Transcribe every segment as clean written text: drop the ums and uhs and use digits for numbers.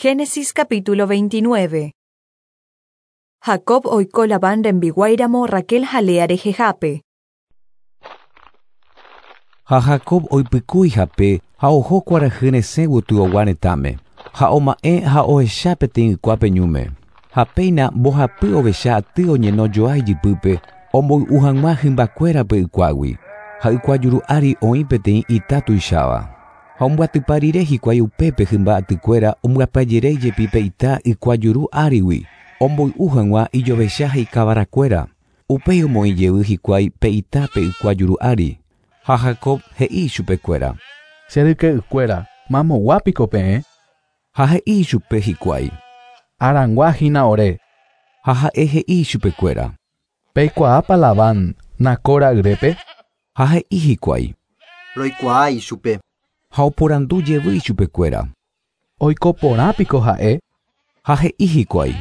Génesis capítulo 29. Jacob oiko Labán rembiguáiramo Raquel ha Lea rehehápe. Ha Jacob oipykúi hape ha oho kuarahy resẽ gotyogua retãme, ha oma'ẽ ha ohecha peteĩ ykuápe ñúme. Ha péina mbohapy ovecha aty oñeno joa ijypýpe omboy'u hag̃ua hymbakuérape ykuágui, ha ykua juru ári oĩ peteĩ ita tuicháva. Ha ombyatypa rire hikuái upépe hymba atykuéra ombyapajeréi jepi pe ita ykua juru árigui, omboy'u hag̃ua ijovecha ha ikavarakuéra. Upéi omoĩ jey hikuái pe ita pe ykua juru ári. Ha Jacob he'i ichupekuéra. Che ryke'ykuéra, mamogua piko peẽ? Ha he'i ichupe hikuái. Harangua hína ore. Ha ha'e he'i ichupekuéra. Peikuaápa Labán, Nacor ra'yrépe? Ha he'i hikuái. Roikuaa ichupe. Ha oporandu jevy ichupekuéra. Oiko porã piko ha'e? Ha he'i hikuái.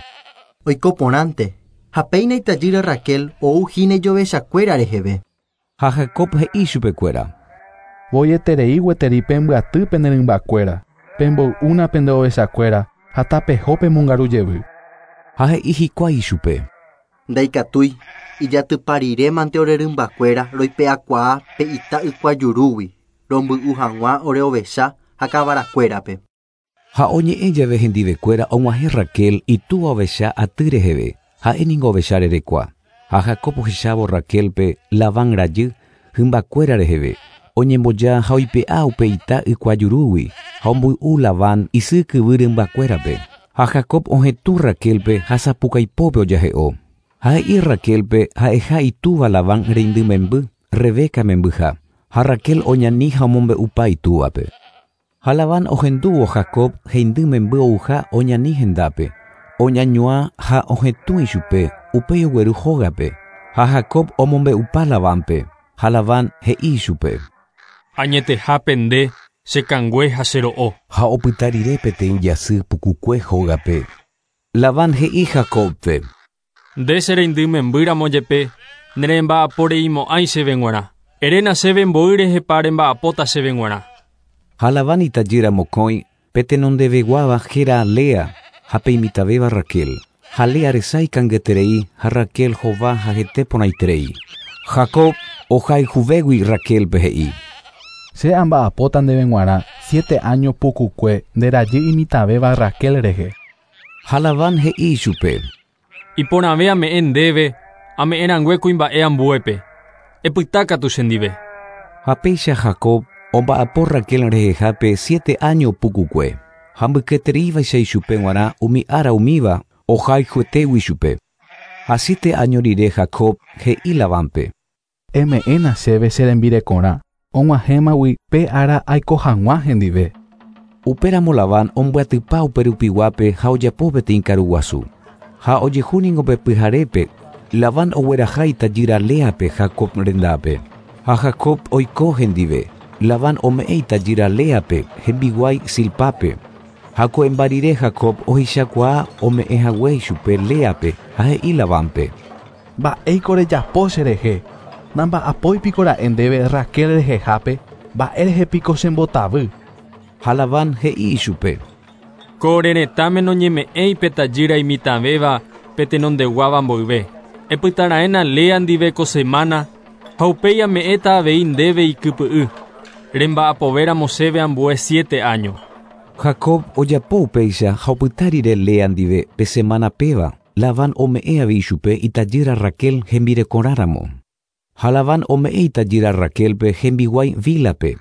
Oiko porãnte, ha péina itajýra Raquel ou hína ijovechakuéra reheve. Ha Jacob he'i ichupekuéra. Voieterei gueteri pembyaty pene rymbakuéra, pemboy'úna pende ovechakuéra ha tapeho pemongaru jevy. Ha he'i hikuái ichupe. Ndaikatúi, ijatypa rirémante ore rymbakuéra roipe'akuaa pe ita ykua jurúgui, romby'u hag̃ua ore ovecha ha kavarakuérape. Ha oñe'ẽ jave hendivekuéra og̃uahẽ Raquel itúva ovecha aty reheve, ha'e ningo ovecha rerekua. Ha Jacob ohechávo Raquélpe, Labán rajy, hymbakuéra reheve, oñemboja ha oipe'a upe ita ykua jurúgui, ha omboy'u Labán isy kyvy rymbakuérape. Ha Jacob ohetũ Raquélpe ha sapukaipópe ojahe'o. Ha he'i Raquélpe ha'eha itúva Labán reindy memby, Rebeca membyha. Ha Raquel oñani ha omombe'upa itúvape. Ha Labán ohendúvo Jacob heindy memby ouha oñani hendápe, oñañuã ha ohetũ ichupe, upéi ogueru hógape. Ha Jacob omombe'upa Labánpe, ha Labán he'i ichupe. Añetehápe nde, che kangue ha che ro'o. Ha opyta rire peteĩ jasy pukukue hógape, Labán he'i Jacóbpe. Nde che reindy membýramo jepe, neremba'aporeimo'ãi chéve g̃uarã. Eréna chéve mboy rehepa remba'apóta chéve g̃uarã. Ha Labán itajýra mokõi, pe tenondeveguáva héra Lea ha pe imitãvéva Raquel. Ha Lea resa ikangyeterei ha Raquel hova ha hete porãiterei. Jacob ohayhuvégui Raquélpe he'i. Che amba'apóta ndéve g̃uarã siete áño pukukue nde rajy imitãvéva Raquel rehe. Ha Labán he'i ichupe. Iporãve ame'ẽ ndéve, ame'ẽ rangue kuimba'e ambuépe. Epyta katu chendive. Ha péicha Jacob omba'apo Raquel rehehápe siete áño pukukue, ha mbyketereívaicha ichupe g̃uarã umi ára umíva ohayhuetégui chupe. Ha siete áño rire Jacob he'i Labánpe. Eme'ẽna chéve che rembirekorã, og̃uahẽmagui pe ára aiko hag̃ua hendive. Upéramo Labán ombyatypa upe rupiguápe ha ojapo peteĩ karu guasu. Ha ojehu ningo pe pyharépe, Labán ogueraha itajýra Léape Jacob rendápe. Ha Jacob oiko hendive. Labán ome'ẽ itajýra Léape hembiguái Zilpápe. Ha ko'ẽmba rire Jacob ohechakuaa ome'ẽ hague ichupe Léape ha he'i Labánpe. Mba'éiko rejapo cherehe? Namba'apói piko ra'e ndéve Raquel rehehápe, mba'e rehe piko chembotavy? Ha Labán he'i ichupe. Ko ore retãme noñeme'ẽi pe tajýra imitãvéva pe tenondeguáva mboyve. Epytaraẽna Lea ndive ko semana ha upéi ame'ẽta avei ndéve ikypy'y. Remba'apovéramo chéve ambue siete áño. Jacob ojapo upéicha ha opyta rire Lea ndive pe semana péva, Labán ome'ẽ avei ichupe itajýra Raquel hembirekorãramo. Ha Labán ome'ẽ itajýra Raquélpe hembiguái Bílhape.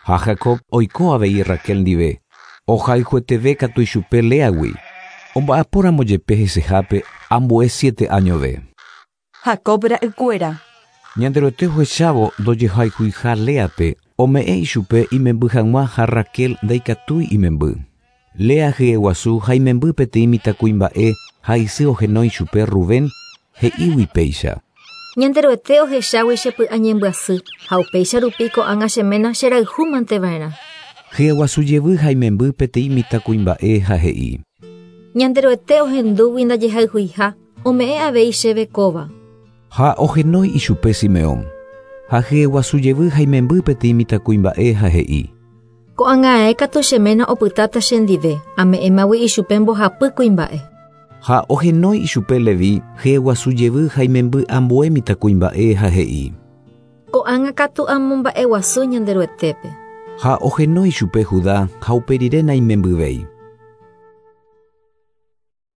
Ha Jacob oiko avei Raquel ndive, ohayhueteve katu ichupe Léagui. Omba'apóramo jepe hesehápe ambue siete áñove. Jacob ra'ykuéra. Ñanderuete ohechávo ndojehayhuiha Léape, ome'ẽ ichupe imemby hag̃ua ha Raquel ndaikatúi imemby. Lea hyeguasu ha imemby peteĩ mitãkuimba'e ha isy ohenói chupe Rubén, he'ígui péicha. Ñanderuete ohechágui che py'añembyasy ha upéicha rupi ko'ág̃a che ména cherayhúmanteva'erã. Hyeguasu jevy ha imemby peteĩ mitãkuimba'e ha he'i. Ñanderuete ohendúgui ndajehayhuiha, ome'ẽ avei chéve kóva. Ha ohenói ichupe Simeón. Ha hyeguasu jevy ha imemby peteĩ mitãkuimba'e ha he'i. Ko'ág̃a katu che ména opytáta chendive, ame'ẽmagui ichupe mbohapy kuimba'e. Ha ohenói ichupe Levi, hyeguasu jevy ha imemby ambue mitãkuimba'e ha he'i. Ko'ág̃a katu amomba'eguasu Ñanderuetépe. Ha ohenói ichupe Judá ha upe rire naimembyvéi.